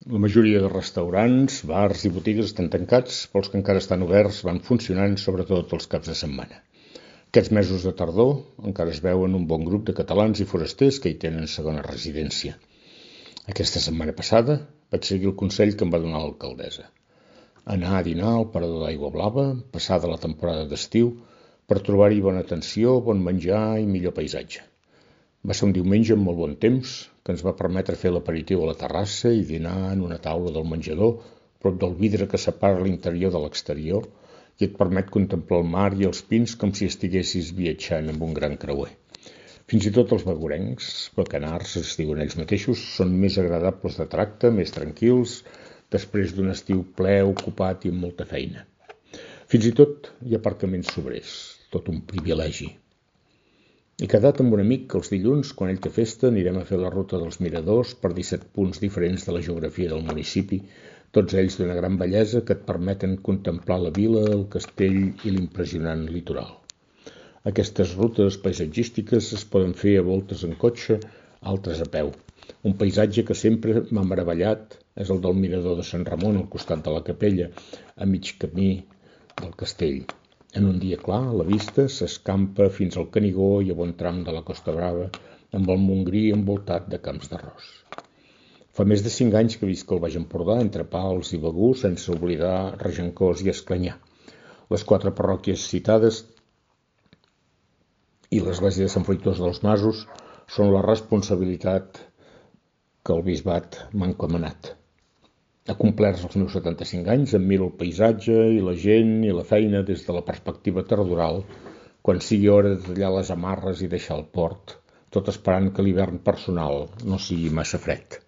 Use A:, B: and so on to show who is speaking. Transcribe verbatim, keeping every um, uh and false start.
A: La majoria de restaurants, bars i botigues estan tancats, però els que encara estan oberts van funcionant, sobretot els caps de setmana. Aquests mesos de tardor encara es veuen un bon grup de catalans i forasters que hi tenen segona residència. Aquesta setmana passada vaig seguir el consell que em va donar l'alcaldessa. Anar a dinar al Parador d'Aigua Blava, passada la temporada d'estiu, per trobar-hi bona atenció, bon menjar i millor paisatge. Va ser un diumenge amb molt bon temps, que ens va permetre fer l'aperitiu a la terrassa i dinar en una taula del menjador, prop del vidre que separa l'interior de l'exterior i et permet contemplar el mar i els pins com si estiguessis viatjant amb un gran creuer. Fins i tot els bagurencs, bacanars, es diuen ells mateixos, són més agradables de tracte, més tranquils, després d'un estiu ple, ocupat i amb molta feina. Fins i tot hi ha aparcaments sobrers, tot un privilegi. He quedat amb un amic que els dilluns, quan ell té festa, anirem a fer la ruta dels miradors per disset punts diferents de la geografia del municipi, tots ells d'una gran bellesa que et permeten contemplar la vila, el castell i l'impressionant litoral. Aquestes rutes paisatgístiques es poden fer a voltes en cotxe, altres a peu. Un paisatge que sempre m'ha meravellat és el del mirador de Sant Ramon al costat de la capella, a mig camí del castell. En un dia clar, la vista s'escampa fins al Canigó i a bon tram de la Costa Brava, amb el Montgrí envoltat de camps d'arròs. Fa més de cinc anys que visc al Baix Empordà, entre Pals i Begur, sense oblidar Regencós i Esclanyà. Les quatre parròquies citades i l'església de Sant Fruitós dels Masos són la responsabilitat que el bisbat m'ha encomanat. Ha complert els meus setanta-cinc anys, em miro el paisatge i la gent i la feina des de la perspectiva tardoral, quan sigui hora de tallar les amarres i deixar el port, tot esperant que l'hivern personal no sigui massa fred.